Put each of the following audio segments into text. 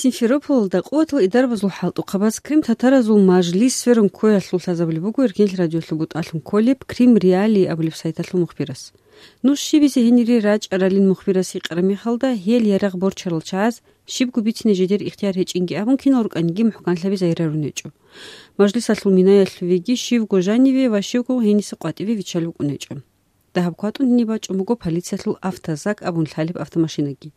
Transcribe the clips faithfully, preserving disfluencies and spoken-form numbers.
Симферополалда къуватал идарабазул хӀалтӀухъабаз Крим татаразул мажлис сверун ккоялъул лъазабулеб буго Эркенлъ радиолъул бутӀалъун кколеб Крим Реалии абулеб сайталъул мухбирас. Нуж щибизе гьенире рачӀаралин мухбирас гьикъараб мехалда, гьел ярагъ борчарал чагӀаз щибго бицине жидер ихтияр гьечӀинги абун, кинал рукӀаниги мухӀканлъаби загьирарун гьечӀо. Мажлисалъул минаялъувеги щивго жаниве ва щивго гьениса къватӀиве виччал букӀун гьечӀо. Дагьаб кватӀун гьениб бачӀун буго полициялъул «Автозак» абун лъалеб автомашинаги.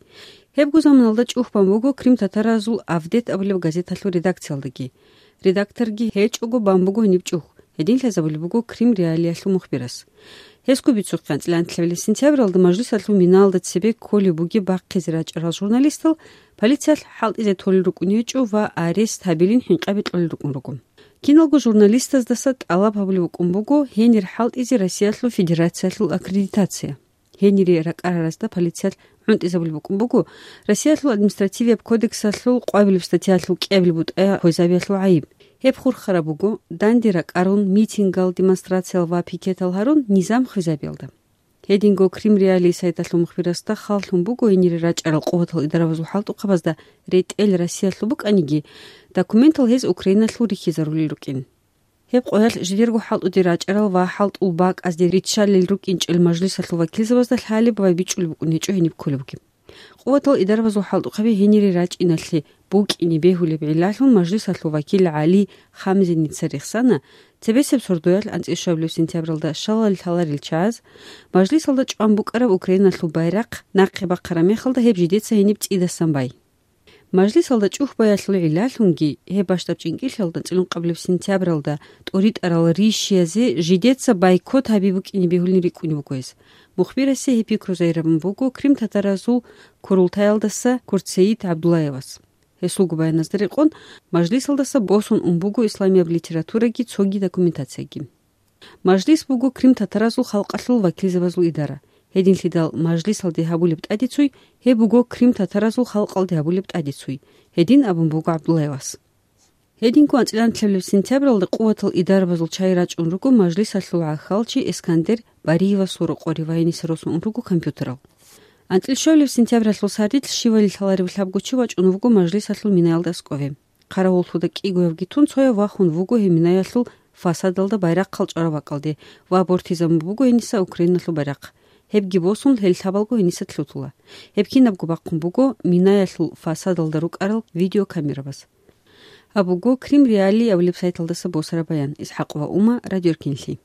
Гьебго заманалда чӀухь бан буго Крим татаразул «Авдет» абулеб газеталъул редакциялдаги. Редакторги гьечӀого бан буго гьениб чӀухь, гьедин лъазабулеб буго Крим Реалиялъул мухбирас. Гьесго бицухъе анцӀила анлъабилеб сентябралда мажлисалъул минаялда цебе кколеб бугеб бахъизе рачӀарал журналистал полициялъ хӀалтӀизе толел рукӀун гьечӀо ва арест гьабилин хӀинкъаби кьолел рукӀун руго. Киналго журналистаздаса тӀалаб гьабулеб букӀун буго гьенир хӀалтӀизе Россиялъул Федерациялъул аккредитация. Гьенире ракӀараразда полициялъ гӀунтӀизабулеб букӀун буго Россиялъул административияб кодексалъул къвабилеб статьялъул кӀиабилеб бутӀа хвезабиялъул гӀайиб. Гьеб хурхараб буго данде ракӀарун, митингал, демонстрациял ва пикетал гьарун низам хвезабиялда. Гьединго Крим Реалии сайталъул мухбирасда хал лъун буго гьенире рачӀарал къуватал идарабазул хӀалтӀухъабазда ретӀел Россиялъул букӀаниги, документал гьез Украиналъул рихьизарулел рукӀин. Гьеб къоялъ жидерго хӀалтӀуде рачӀарал ва хӀалтӀул бакӀазде риччалел рукӀинчӀел мажлисалъул вакилзабазда лъалеб ва бичӀчӀулеб букӀун гьечӀо гьениб кколебги. Къуватал идарабазул хӀалтӀухъаби гьенире рачӀиналъе букӀине бегьулеб гӀиллалъун мажлисалъул вакил ГӀали Хамзиница рехсана, цебесеб сордоялъ анцӀила щвабилеб сентябралда щалал лъаларел чагӀаз мажлисалда чӀван букӀараб Украиналъул байрахъ нахъе бахъараб мехалда гьеб жидеца гьениб цӀидасан бай. Мажлисалда чӀухь баялъул гӀиллалъунги, гьеб бащдаб чӀинкӀиллъиялда анцӀила ункъабилеб сентябралда тӀуритӀарал рищиязе жидеца бойкот гьаби букӀине бегьулин рикӀкӀунеб буго гьес. Мухбирасе гьеб пикру загьирабун буго Крим татаразул курултаялдаса Курцеид ГӀабдуллаевас. Гьесулго баяназда рекъон, мажлисалдаса босун ун буго исламияб литератураги цоги документацияги. Мажлис буго Крим татаразул халкъалъул вакилзабазул идара. Гьединлъидал мажлисалде гьабулеб тӀадицуй, гьеб буго Крим татаразул халкъалде гьабулеб тӀадицуй, гьедин абун буго ГӀабдуллаевас. Гьединго анцӀила анлъабилеб сентябралда къуватал идарабазул чагӀи рачӀун руго мажлисалъул гӀахьалчи Эскандер Бариевасул рокъоре ва гьениса росун ун руго компьютерал. АнцӀила щвабилеб сентябралъул сардилъ щивали лъаларев лъабго чи вачӀун вуго мажлисалъул минаялда аскӀове. Хъаравуллъуда кӀигоявги тун цояв вахун вуго гьеб минаялъул фасадалда байрахъал чӀвараб бакӀалде ва бортизабун буго гьениса Украиналъул байрахъ. Гьебги босун, гьел лъабалго гьениса лъутула. Гьеб кинабго бахъун буго минаялъул фасадалда рукӀарал видеокамерабаз. Гьаб буго Крим Реалии абулеб сайталдаса босараб баян, ИсхӀакъова Ума, Радио Эркенлъи.